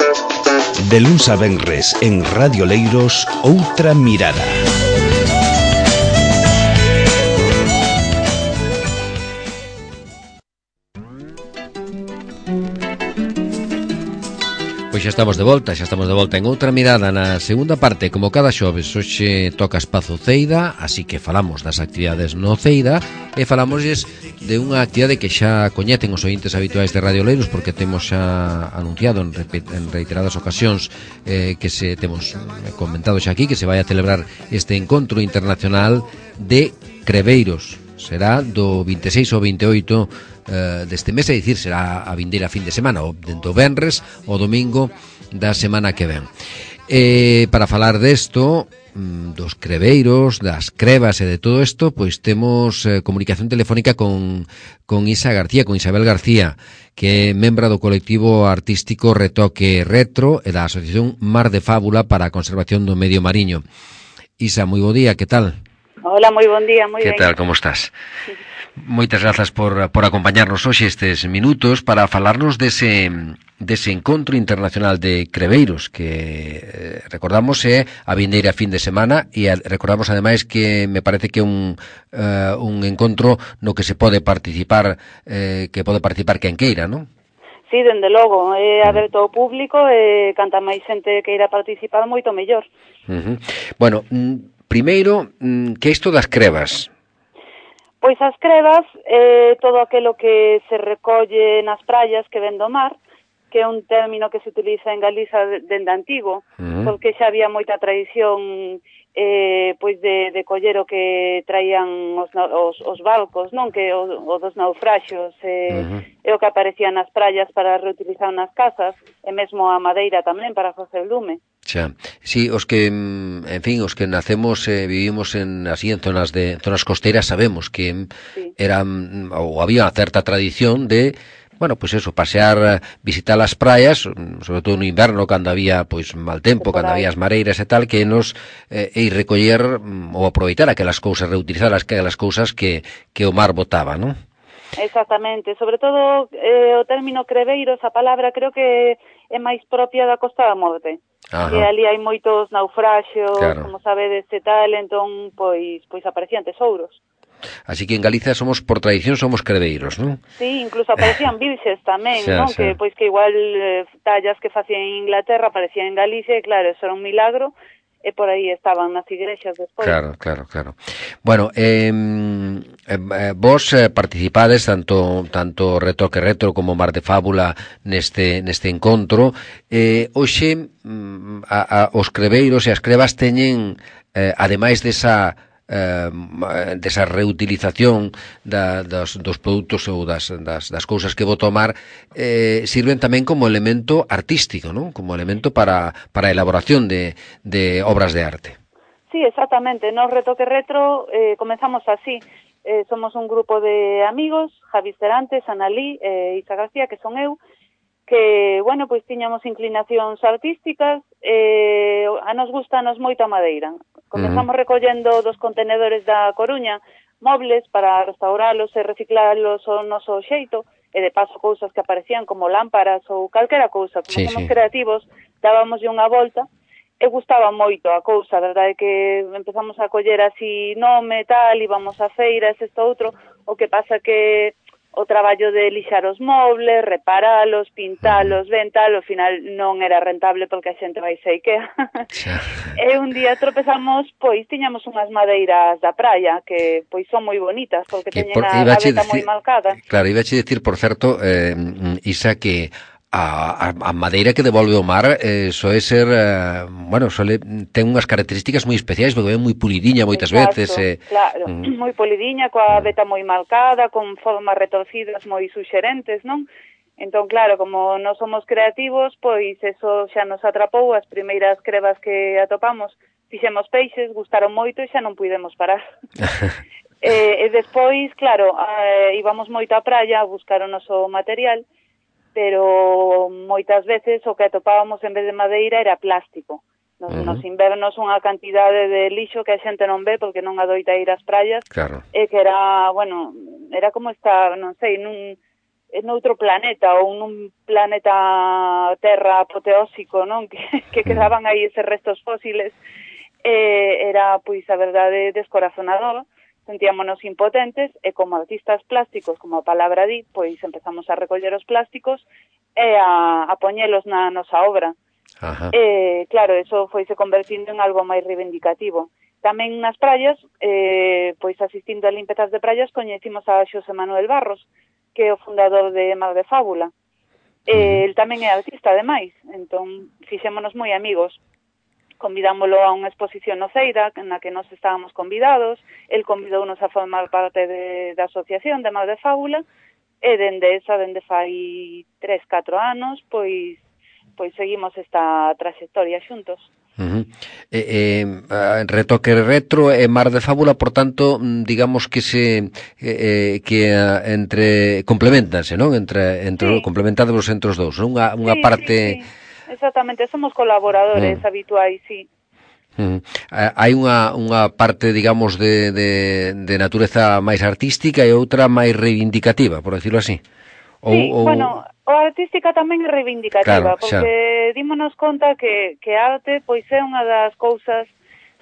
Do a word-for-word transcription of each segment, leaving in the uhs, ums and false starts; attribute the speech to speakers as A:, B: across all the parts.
A: De luns a venres en Radio Leiros, Outra Mirada.
B: Pois xa estamos de volta, xa estamos de volta en Outra Mirada na segunda parte, como cada xoves. Hoxe toca espazo Ceida, así que falamos das actividades no Ceida e falamosles de unha actividade que xa coñecen os ointes habituais de Radio Leiros, porque temos xa anunciado en, en reiteradas ocasións eh, que se temos comentado xa aquí que se vai a celebrar este encontro internacional de creveiros. Será do vinte e seis ao vinte e oito uh, deste mes, é dicir, será a vindeira fin de semana, o dentro venres o domingo da semana que ven. E para falar desto, dos creveiros, das crevas e de todo isto, pois temos eh, comunicación telefónica con, con Isa García, con Isabel García, que é membra do colectivo artístico Retoque Retro e da Asociación Mar de Fábula para a Conservación do Medio Mariño. Isa, moi bo día, que tal?
C: Hola, moi bon día, moi
B: ben. Que tal, como estás? Moitas grazas por, por acompañarnos hoxe estes minutos para falarnos dese, dese encontro internacional de creveiros que eh, recordamos é a vindeira fin de semana e a, recordamos ademais que me parece que é un, uh, un encontro no que se pode participar eh, que pode participar quen queira, non?
C: Sí, dende logo, é aberto ao público e canta máis xente que irá participar moito mellor.
B: Uh-huh. Bueno, primeiro, que é isto das crevas?
C: Pois as crevas é todo aquilo que se recolle nas praias que ven do mar, que é un término que se utiliza en Galiza dende antigo, uh-huh. porque xa había moita tradición eh, pois de, de coller o que traían os, os, os barcos, non? Que o, o dos naufraxios eh, uh-huh. é o que aparecía nas praias para reutilizar nas casas, e mesmo a madeira tamén para facer lume.
B: Xa, sí, os que, en fin, os que nacemos e eh, vivimos en así en zonas de zonas costeras sabemos que sí. eran ou había unha certa tradición de bueno, pois pues eso, pasear, visitar as praias, sobre todo no inverno, cando había pois mal tempo, cando había as mareiras e tal, que nos eh, ir recoller ou aproveitar aquelas cousas, reutilizar aquelas cousas que, que o mar botaba, non?
C: Exactamente, sobre todo eh, o término creveiros, a palabra creo que é máis propia da Costa da Morte. Ajá. Que ali hai moitos naufraxios, claro. Como sabedes e tal, entón pois pois aparecían tesouros.
B: Así que en Galicia somos, por tradición, somos creveiros, non?
C: Sí, incluso aparecían virxes tamén, xa, non? Xa. Que pois que igual eh, tallas que facían en Inglaterra aparecían en Galicia, e claro, eso era un milagro, e por aí estaban nas igrexas despois.
B: Claro, claro, claro. Bueno, eh, eh, vos eh, participades tanto tanto Retoque Retro como Mar de Fábula neste neste encontro. Eh, hoxe a, a, os creveiros e as crevas teñen, eh, ademais desa Eh, desa reutilización da, dos, dos produtos ou das, das, das cousas que vou tomar, eh, sirven tamén como elemento artístico, non? Como elemento para, para a elaboración de, de obras de arte.
C: Sí, exactamente. No Retoque Retro eh, comenzamos así. Eh, somos un grupo de amigos, Javi Cerantes, Analí e eh, Isa García, que son eu, que, bueno, pois tiñamos inclinacións artísticas, eh, a nos gustanos moito a madeira. Comezamos uh-huh. recollendo dos contenedores da Coruña mobles para restauralos e reciclalos ao noso xeito, e de paso cousas que aparecían como lámparas ou calquera cousa. Como sí, somos sí. creativos, dábamoslle unha volta e gustaba moito a cousa, a verdade é que empezamos a coller así nome, tal, íbamos a feiras, isto outro, o que pasa que o traballo de lixar os mobles, reparalos, pintalos, ben tal, ao final non era rentable porque a xente vai se Ikea. E un día tropezamos, pois, tiñamos unhas madeiras da praia que, pois, son moi bonitas porque que teñen por, a gaveta moi marcada.
B: Claro, iba a dicir, por certo, eh, Isa, que a, a, a madeira que devolve o mar eh, soe ser, eh, bueno, soe, ten unhas características moi especiais, porque é moi pulidiña moitas Exacto, veces. Eh,
C: claro, mm. moi pulidiña, coa veta moi marcada, con formas retorcidas moi suxerentes, non? Entón, claro, como non somos creativos, pois eso xa nos atrapou, as primeiras crevas que atopamos, fixemos peixes, gustaron moito e xa non puidemos parar. e, e despois, claro, eh, íbamos moito á praia a buscar o noso material, pero moitas veces o que atopábamos en vez de madeira era plástico. Nos, uh-huh. nos invernos unha cantidade de lixo que a xente non ve porque non adoita ir ás praias,
B: claro.
C: E que era, bueno, era como estar, non sei, nun, noutro planeta ou nun planeta Terra apoteósico, non? Que, que quedaban aí eses restos fósiles. Eh, era, pois, a verdade, descorazonador. Sentíamonos impotentes e como artistas plásticos, como a palabra di, pois empezamos a recoller os plásticos e a, a poñelos na nosa obra.
B: Ajá.
C: Eh, claro, eso foise convertindo en algo máis reivindicativo. Tamén nas praias, eh, pois asistindo a limpezas de praias, coñecimos a Xosé Manuel Barros, que é o fundador de Mar de Fábula. Eh,
B: Uh-huh.
C: El tamén é artista, ademais, entón fixémonos moi amigos. Convidámolo a unha exposición no Ceira, na que nós estábamos convidados, el convidounos a formar parte de, da asociación de Mar de Fábula, e dende esa, dende fai tres, catro anos, pois pois seguimos esta trayectoria xuntos.
B: Uh-huh. Eh, eh, Retoque retro e Mar de Fábula, por tanto, digamos que se eh, que uh, entre complementanse, non? Entre entre sí. Complementádevos entre os dous, non? Unha unha
C: sí,
B: parte
C: sí, sí. Exactamente, somos colaboradores mm. habituais, sí.
B: Mm. Hai unha, unha parte, digamos, de, de, de natureza máis artística e outra máis reivindicativa, por decirlo así.
C: Ou, sí, ou... bueno, a artística tamén é reivindicativa,
B: claro,
C: porque dímonos conta que, que a arte pois é unha das cousas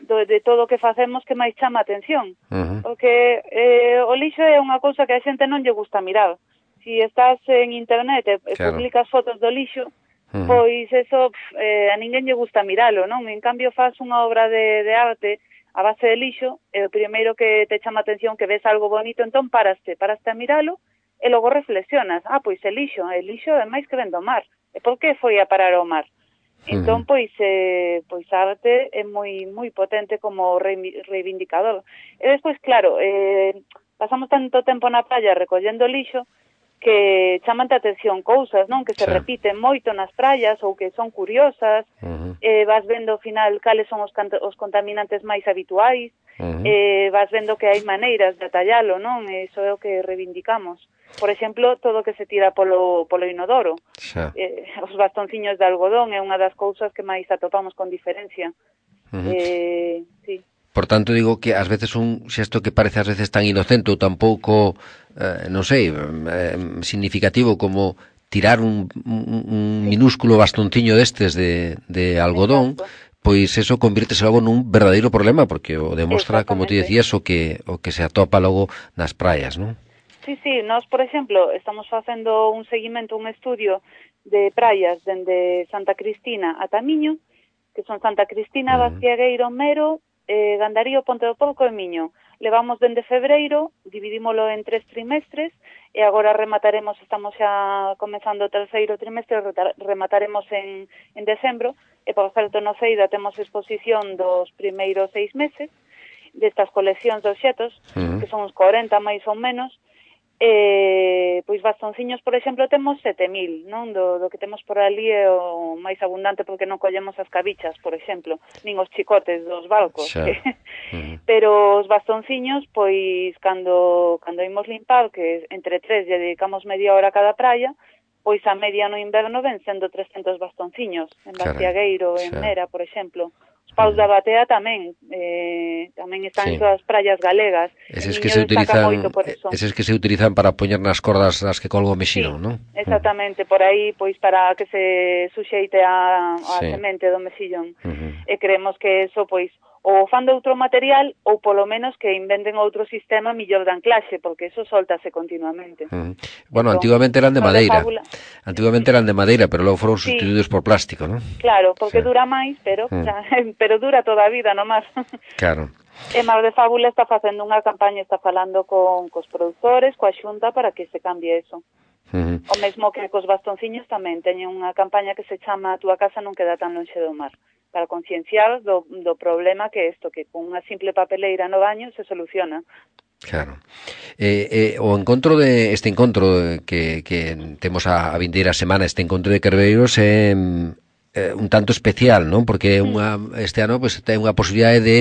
C: do, de todo o que facemos que máis chama a atención.
B: Uh-huh.
C: Porque eh, o lixo é unha cousa que a xente non lle gusta mirar. Si estás en internet e claro. publicas fotos do lixo, Uh-huh. pois eso pf, eh, a ninguén lle gusta miralo, non? En cambio faz unha obra de, de arte a base de lixo e o primeiro que te chama a atención que ves algo bonito, entón paraste, paraste a miralo e logo reflexionas, ah, pois é lixo, é lixo é máis que ven do mar, e por que foi a parar ao mar? Entón, pois, eh, pois a arte é moi moi potente como reivindicador. E despois, claro, eh, pasamos tanto tempo na praia recollendo lixo que chaman a atención cousas, non? Que se sí. repiten moito nas praias ou que son curiosas, uh-huh. eh, vas vendo ao final cales son os, os contaminantes máis habituais, uh-huh. eh, vas vendo que hai maneiras de atallalo, non? Eso é o que reivindicamos. Por exemplo, todo o que se tira polo, polo inodoro. Sí. Eh, os bastonciños de algodón é unha das cousas que máis atopamos con diferencia. Uh-huh. Eh, sí.
B: Por tanto, digo que ás veces un xesto que parece ás veces tan inocente ou tan pouco, eh, non sei, eh, significativo como tirar un, un, un minúsculo bastonciño destes de, de algodón, exacto. Pois eso convírtese logo nun verdadeiro problema, porque o demostra, como ti decías, o que, o que se atopa logo nas praias, non?
C: Sí, sí, nós, por exemplo, estamos facendo un seguimento, un estudio de praias dende Santa Cristina a Tamiño, que son Santa Cristina, uh-huh. Bastiagueiro, Mero, eh, Gandarío, Ponte do Porco e Miño. Levamos dende febreiro, dividímolo en tres trimestres e agora remataremos, estamos xa comezando o terceiro trimestre, remataremos en, en decembro e por certo no Ceida temos exposición dos primeiros seis meses destas coleccións de obxetos, uh-huh. que son uns corenta máis ou menos. Eh, pois bastonciños, por exemplo, temos sete mil, non? Do, do que temos por ali é o máis abundante porque non collemos as cabichas, por exemplo, nin os chicotes dos barcos. Que... Uh-huh. Pero os bastonciños, pois, cando, cando imos limpar, que entre tres lle dedicamos media hora a cada praia, pois a media no inverno ven sendo trescentos bastonciños, en Bastiagueiro, en Mera, por exemplo. Os paus da Batea tamén, eh, tamén están sí. en todas as praias galegas.
B: Eses que se utilizan, eses que se utilizan para poñer nas cordas as que colgo o mexilón,
C: sí,
B: non?
C: Exactamente, por aí, pois para que se suxeite a, a sí. semente do mexillón. Uh-huh. E creemos que eso, pois, ou fan de outro material ou polo menos que inventen outro sistema millor de anclaxe, porque eso soltase continuamente.
B: Uh-huh. Bueno, entón, antigamente eran de madeira. De antigamente eran de madeira, pero logo foron sustituídos sí. por plástico, non?
C: Claro, porque sí. dura máis, pero uh-huh. xa, pero dura toda a vida, non máis.
B: Claro.
C: E Mar de Fábula está facendo unha campaña, está falando con cos produtores, coa Xunta para que se cambie eso. Uh-huh. O mesmo que cos bastonciños tamén teñen unha campaña que se chama A túa casa non queda tan lonxe do mar, para concienciar do, do problema que é isto, que con unha simple papeleira no baño se soluciona.
B: Claro. Eh, eh, o encontro de este encontro que, que temos a, a vindeira semana, este encontro de Carbereiros é eh, un tanto especial, non? Porque unha, este ano pues, ten unha posibilidade de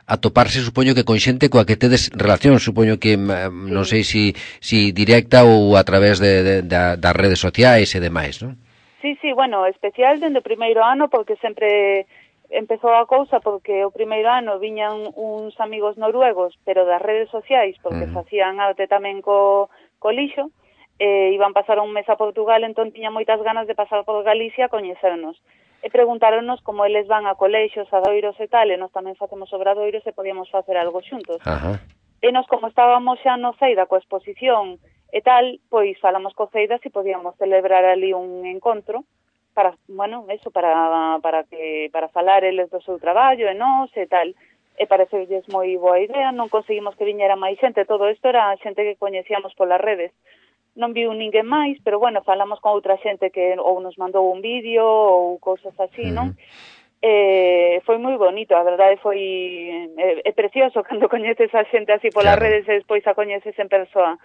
B: atoparse, supoño que con xente coa que tedes relación, supoño que non sei si, si directa ou a través de, de, de, das redes sociais e demais, non?
C: Sí, sí, bueno, especial dende o primeiro ano porque sempre empezou a cousa porque o primeiro ano viñan uns amigos noruegos, pero das redes sociais, porque uh-huh. facían arte tamén co, co lixo, e iban pasar un mes a Portugal, entón tiña moitas ganas de pasar por Galicia a coñecernos. E preguntáronos como eles van a colexios, a doiros e tal, e nós tamén facemos obradoiros e podíamos facer algo xuntos.
B: Ajá.
C: E nos, como estábamos xa no Ceida coa exposición e tal, pois falamos co Ceida se podíamos celebrar ali un encontro para, bueno, eso, para para que para falar eles do seu traballo e nós e tal. E parecerlles moi boa idea, non conseguimos que viñera máis xente, todo isto era xente que coñecíamos polas redes. Non viu ninguén máis, pero bueno, falamos con outra xente que ou nos mandou un vídeo ou cousas así, uh-huh. non? E foi moi bonito, a verdade foi é, é precioso cando coñeces a xente así polas claro. redes e despois a coñeces en persoa.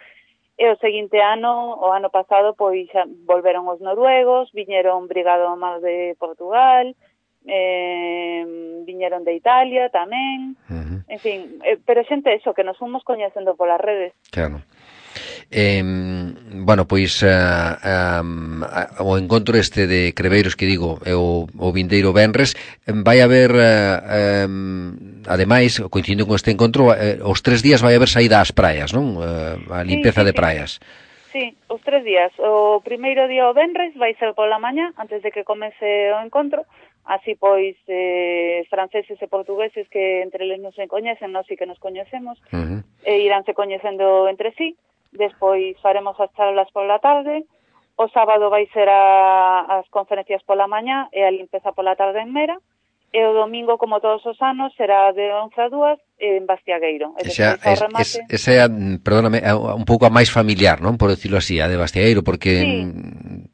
C: E o seguinte ano, o ano pasado, pois xa volveron os noruegos, viñeron Brigado Mar de Portugal, eh, viñeron de Italia tamén, uh-huh. en fin, eh, pero xente eso, que nos fomos coñecendo polas redes.
B: Claro. Eh, bueno, pois uh, um, o encontro este de Creveiros que digo é o, o vindeiro venres, vai haber uh, um, ademais, coincidindo con este encontro, uh, os tres días vai haber saída ás praias, non? Uh, a limpeza sí, sí, de praias.
C: Sí, os tres días. O primeiro día o venres vai ser pola mañá, antes de que comece o encontro. Así, pois, eh, franceses e portugueses que entre eles non se coñecen, nós sí que nos coñecemos, uh-huh. e iránse coñecendo entre sí. Despois faremos as charlas pola tarde. O sábado vai ser a, as conferencias pola mañá e a limpeza pola tarde en Mera. E o domingo, como todos os anos, será de once a dúas en Bastiagueiro. E
B: esa, es, remate... es, esa é, perdóname, un pouco a máis familiar, non? Por decirlo así, a de Bastiagueiro, porque...
C: Sí,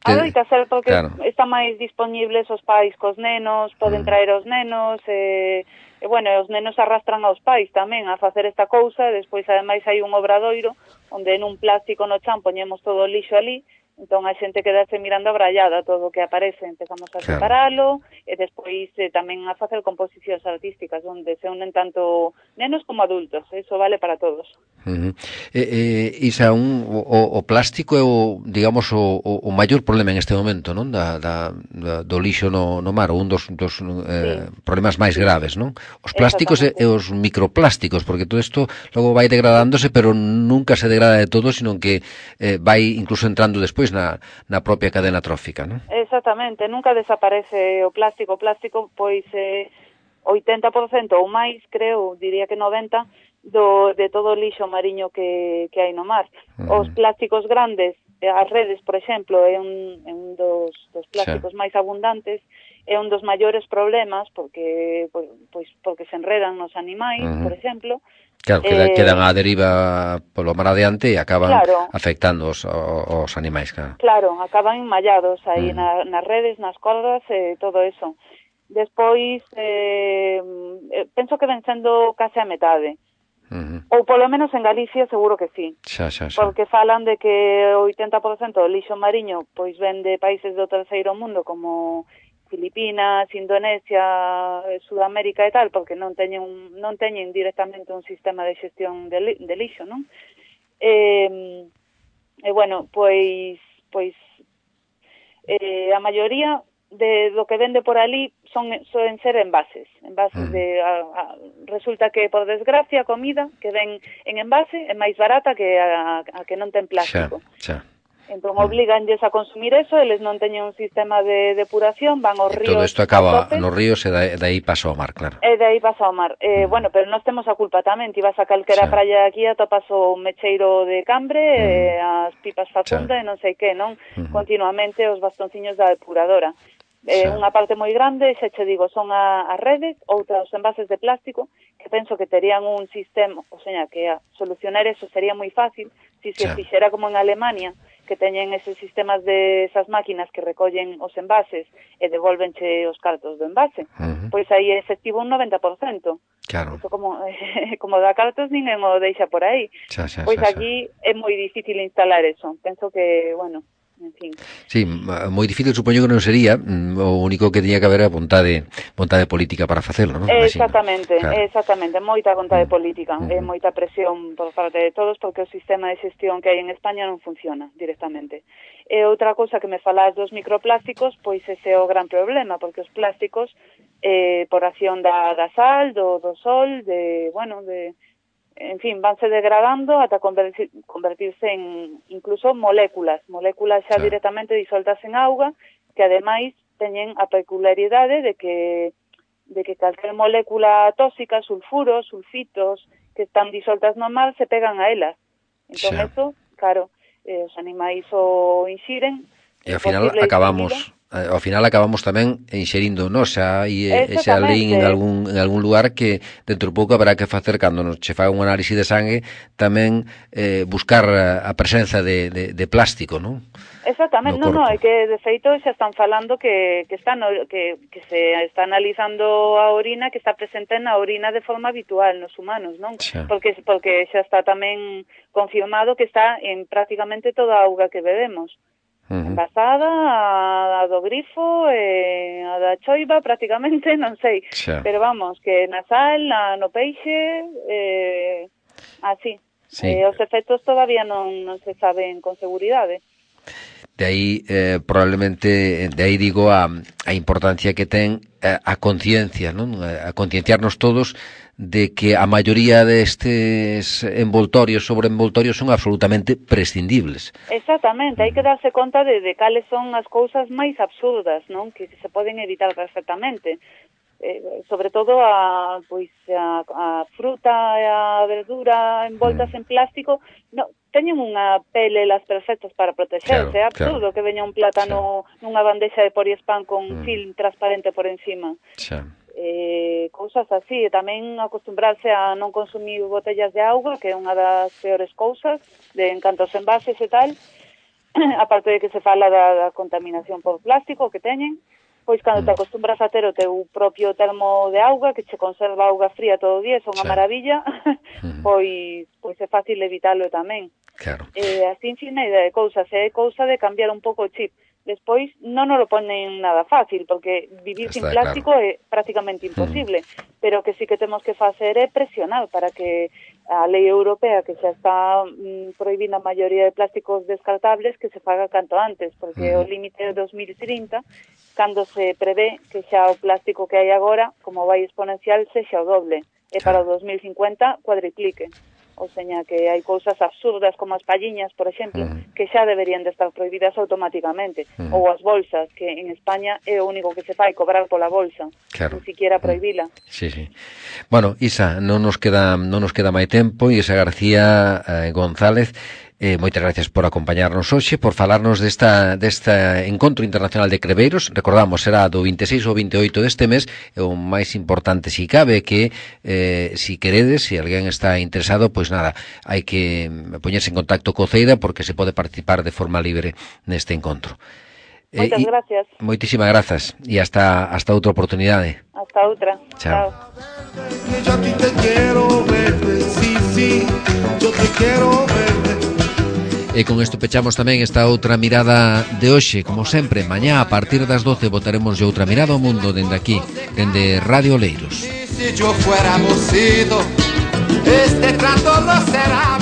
C: te... adoita ser porque claro. está máis disponibles os pais cos nenos, poden mm. traer os nenos, e, e bueno, os nenos arrastran aos pais tamén a facer esta cousa, e despois ademais hai un obradoiro onde en un plástico no chan poñemos todo o lixo ali, entón a xente quedase mirando abrallada todo o que aparece, empezamos a claro. separalo e despois eh, tamén a facer composicións artísticas onde se unen tanto nenos como adultos, eso vale para todos.
B: Uh-huh. eh, eh, Isa, un, o, o plástico é o, digamos, o, o maior problema en este momento, non? Da, da, da, do lixo no, no mar, un dos, dos eh, sí. problemas máis graves, non? Os plásticos e, e os microplásticos, porque todo isto logo vai degradándose, pero nunca se degrada de todo, sino que eh, vai incluso entrando despois na, na propia cadena trófica, non?
C: Exactamente, nunca desaparece o plástico. O plástico, pois, eh, oitenta por cento ou máis, creo, diría que noventa por cento, do, de todo o lixo mariño que, que hai no mar. Uh-huh. Os plásticos grandes, as redes, por exemplo, é un, é un dos, dos plásticos sí. máis abundantes, é un dos maiores problemas, porque, pois, pois, porque se enredan nos animais, uh-huh. por exemplo.
B: Claro, queda, eh, quedan á deriva polo mar adiante e acaban claro, afectando os, os animais. Claro,
C: claro acaban enmallados aí uh-huh. na, nas redes, nas cordas e todo eso. Despois, eh, penso que ven sendo case a metade. Uh-huh. Ou polo menos en Galicia seguro que sí.
B: Xa, xa, xa.
C: Porque falan de que o oitenta por cento do lixo mariño pois ven de países do terceiro mundo como Filipinas, Indonesia, Sudamérica e tal, porque non teñen un, non teñen directamente un sistema de xestión de, li, de lixo, non? E, e bueno, pois pois eh, a maioría de do que vende por ali son soen ser envases, envases mm. de a, a, resulta que por desgracia a comida que ven en envase é máis barata que a, a que non ten plástico.
B: Xa, xa.
C: Entón obliganlles a consumir eso, eles non teñen un sistema de depuración, van aos
B: e
C: ríos.
B: Todo isto acaba nos ríos e de aí pasa ao mar, claro.
C: E de aí pasa ao mar. Eh, mm. Bueno, pero nós temos a culpa tamén, ti vas a calquera sí. praia aquí atopas o mecheiro de cambre, mm. eh, as pipas facunda sí. e non sei que, non? Mm-hmm. Continuamente os bastonciños da depuradora. Eh, sí. Unha parte moi grande, xa che digo, son a, as redes, outras os envases de plástico, que penso que terían un sistema, o sea, que a solucionar eso sería moi fácil, si se sí. fixera como en Alemania, que teñen eses sistemas de esas máquinas que recollen os envases e devolvenche os cartos do envase, uh-huh. pois aí é efectivo un noventa por cento.
B: Claro.
C: Eso como, eh, como dá cartos ninguén o deixa por aí.
B: Xa, xa,
C: pois
B: xa,
C: aquí xa. É moi difícil instalar eso. Penso que, bueno, en fin.
B: Sí, moi difícil, supoño que non sería, o único que tiña que haber era vontade, vontade política para facelo, non?
C: Exactamente, claro. exactamente, moita vontade mm. política, mm. e moita presión por parte de todos, porque o sistema de xestión que hai en España non funciona directamente. E outra cousa que me falas dos microplásticos, pois ese é o gran problema, porque os plásticos, eh, por acción da, da sal, do, do sol, de, bueno, de... en fin, vanse degradando ata convertir, convertirse en incluso moléculas, moléculas xa sí. directamente disoltas en auga, que ademais teñen a peculiaridade de que de que calquer molécula tóxica, sulfuros, sulfitos, que están disoltas no mar, se pegan a elas. Entón, sí. eso, claro, eh, os animais o inxiren.
B: E ao final acabamos... ao final acabamos tamén inxerindo nos xa e ese alín en algún en algún lugar que dentro de pouco haberá que facer cando nos che faga un análise de sangue tamén eh, buscar a, a presenza de, de, de plástico, non?
C: Exactamente, no, no, é que de feito xa están falando que que está no, que que se está analizando a orina que está presente na orina de forma habitual nos humanos, non? Xa. Porque porque xa está tamén confirmado que está en prácticamente toda a auga que bebemos. Uh-huh. Envasada, a, a do grifo, eh, a da choiva prácticamente, non sei, xa. Pero vamos, que na sal, na, no peixe, eh, así. Sí. Eh, os efectos todavía non, non se saben con seguridade.
B: De aí, eh, probablemente, de aí digo a, a importancia que ten a, a conciencia, non? A, a concienciarnos todos de que a maioría destes envoltorios sobre envoltorios son absolutamente prescindibles.
C: Exactamente, hai que darse conta de, de cales son as cousas máis absurdas, non? Que se poden evitar perfectamente. Eh, sobre todo a, pois, a, a fruta e a verdura envoltas mm. en plástico, no, teñen unha pele las perfectas para protegerse. Claro, é absurdo claro. Que veña un plátano sí. nunha bandexa de poliespán con mm. film transparente por encima. Sí. Eh, cousas así, e tamén acostumbrarse a non consumir botellas de auga, que é unha das peores cousas de en canto aos envases e tal, aparte de que se fala da, da contaminación por plástico que teñen, pois cando te acostumbras a ter o teu propio termo de auga, que che conserva auga fría todo o día, é unha sí. maravilla, pois pois é fácil evitalo tamén. Claro. Eh, así infinidade de cousas, é cousa de cambiar un pouco o chip. Despois non nos lo ponen nada fácil, porque vivir Está sin plástico claro. É prácticamente imposible, mm. pero que sí que temos que facer é presionar para que a lei europea, que xa está mm, prohibindo a maioría de plásticos descartables, que se faga canto antes, porque mm. o límite é dos mil trinta, cando se prevé que xa o plástico que hai agora, como vai exponencial, sexa o doble, e para o dos mil cincuenta cuadriplique. O seña que hai cousas absurdas como as palliñas, por exemplo, uh-huh. que xa deberían de estar prohibidas automáticamente, uh-huh. ou as bolsas, que en España é o único que se fai, cobrar pola bolsa, claro. Ni siquiera prohibila.
B: Sí, sí. Bueno, Isa, non nos queda non nos queda máis tempo, Isa García eh, González, Eh, moitas gracias por acompañarnos hoxe, por falarnos desta, desta Encontro Internacional de Creveiros. Recordamos, será do vinte e seis ao vinte e oito deste mes, e o máis importante, si cabe, que eh, si queredes, se si alguén está interesado, pois nada, hai que poñerse en contacto co CEIDA, porque se pode participar de forma libre neste encontro.
C: Moitas eh, gracias.
B: Moitísimas grazas, e hasta, hasta outra oportunidade.
C: Hasta outra.
B: Chao.
D: Yo te quiero ver, sí, sí, yo te quiero ver.
B: E con isto pechamos tamén esta outra mirada de hoxe. Como sempre, mañá a partir das doce botaremos outra mirada ao mundo dende aquí, dende Radio Oleiros. Si yo fuéramos ido, este trato no será